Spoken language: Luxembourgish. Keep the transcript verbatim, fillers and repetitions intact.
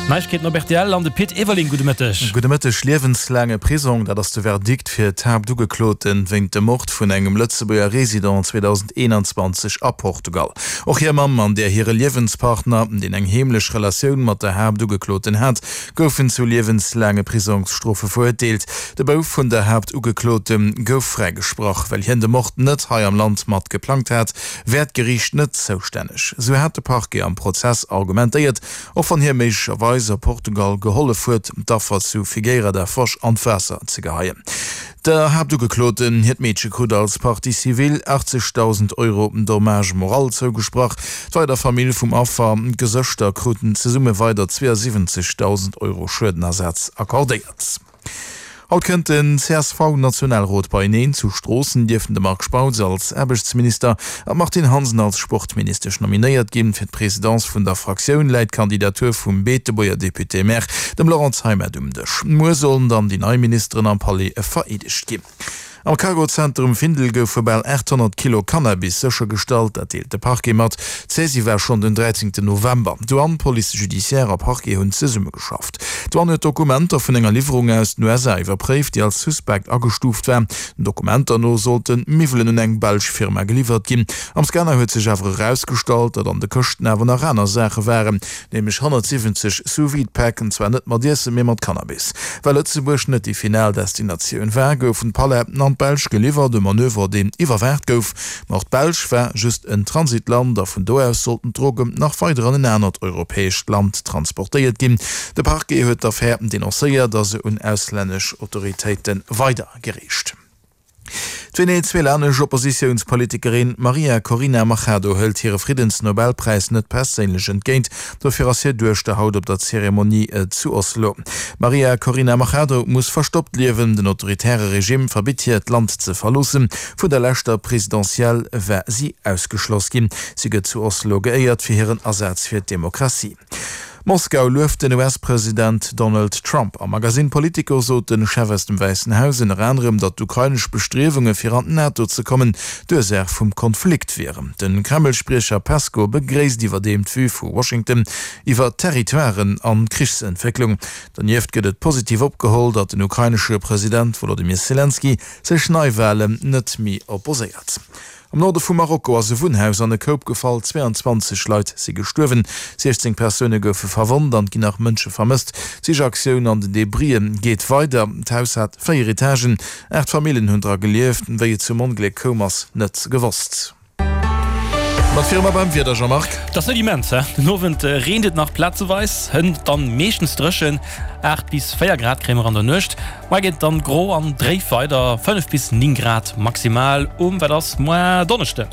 Neiegkeeten op rtl an de Pit Everling. Gudde Mëtteg. Gudde Mëtteg. Liewenslaange Prisong, dat ass de Verdikt fir d'Haaptugeklote wéint dem Mord vun engem Lëtzebuerger Resident zweedausendeenanzwanzeg a Portugal. Och hir Mamm an där hire Liewenspartner, deen eng heemlech Relatioun mat der Haaptugekloten hat, goufen zu liewenslaange Prisongsstrofe verurteelt. De Bouf vun der Haaptugeklote gouf fräigesprach. Well hien de Mord net hei am Land mat geplangt hat, wär d'Geriicht net zoustänneg, sou hat de Parquet am Prozess argumentéiert, och wann hie méiglecherweis a Portugal gehollef huet, d'Affer zu Figueira da Foz an d'Waasser ze geheien. Der Haaptugekloten hiert Meedche krut als Partie civile achtzegdausend Euro Dommage moral zougesprach. D'weider Famill vum Affer, d'Gesëschter, kruten zesumme weider zweeënsiwwenzegdausend Euro Schuedenersatz accordéiert. Haut kënnt den C S V-Nationalrot beieneen. Zu Stroossen dierften de Marc Spautz als Aarbechtsminister an d'Martine Hansen als Sportministesch nominéiert ginn. Fir d'Presidence vun der Fraktioun läit d'Kandidatur vum Beetebuerger Député-maire, dem Laurent Zeimet, um Dësch. Muer sollen dann déi nei Ministeren am Palais vereedegt ginn. Am Cargozenter um Findel goufe bal aathonnert Kilo Cannabis séchergestallt, dat deelt de Parquet mat. D'Saisie war schonn den dräizéngten November. Douane, Police judiciaire a Parquet hunn zesummegeschafft. D'Douane huet Dokumenter vun enger Liwwerung aus den U S A iwwerpréift, déi als suspekt agestuuft war. Den Dokumenter no sollten d'Miwwelen un eng belsch Firma geliwwert ginn. Am Scanner huet sech awer erausgestallt, datt an de Këschten awer nach aner Saache waren, nämlech honnertsiwwenzeg Sous-vide-Päck, an zwar net mat Iessen, mee mat Cannabis. Well Lëtzebuerg net déi final Destinatioun war, goufen d'Paletten an d'Belsch geliwwert, e Manöver, deen iwwerwaacht gouf. Ma och d'Belsch war just en Transitland a vun do aus sollten d'Drogen nach weider an en anert europäescht Land transportéiert ginn. De Parquet huet d'Affär denoncéiert a se un auslännesch Autoritéite weidergereecht. D'venezuelanesch Oppositiounspolitikerin Maria Corina Machado hëlt hire Friddensnobelpräis net perséinlech entgéint. Dofir ass hir Duechter haut op der Zeremonie zu Oslo. D'Maria Corina Machado muss verstoppt liewen, den autoritäre Regime verbitt hir, d'Land ze verloossen. Vun der leschter Presidentielle war si ausgeschloss ginn. Si gëtt zu Oslo geéiert fir hiren Asaz fir d'Demokratie. Moskau lueft den U S-President Donald Trump. Am Magasinn Politico sot de Chef aus dem Wäissen Haus ënner anerem, datt d'ukrainesch Bestriewunge fir an d'NATO ze kommen, d'Ursaach vum Konflikt wieren. De Kreml-Spriecher Peskow begréisst iwwerdeem d'Vue vu Washington iwwer Territoiren an d'Krichsentwécklung. Donieft gëtt et positiv opgeholl, datt den ukrainesche President Wolodymyr Selenskyj sech Neiwalen net méi opposéiert. Am Norde vu Marokko ass e Wunnhaus an e Koup gefall, zweeanzwanzeg Leit si gestuerwen, siechzéng Persoune goufe verwonnt an et ginn nach Mënsche vermësst. D'Sichaktioun an den Debrien geet weider. D'Haus hat véier Etagen, aacht Famillen hunn dra gelieft. Wéi et zum Ongléck koum, ass net gewosst. Mat viru mer beim Wieder, Jean-Marc. Dat ass net immens, hä? Den Owend reent et nach plazeweis, hënt dann meeschtens dréchen. Aacht bis véier Grad kréie mer an der Nuecht. Moar geet et dann gro an dréif weider, fënnef bis néng Grad maximal um, wat ass moar, Donneschden.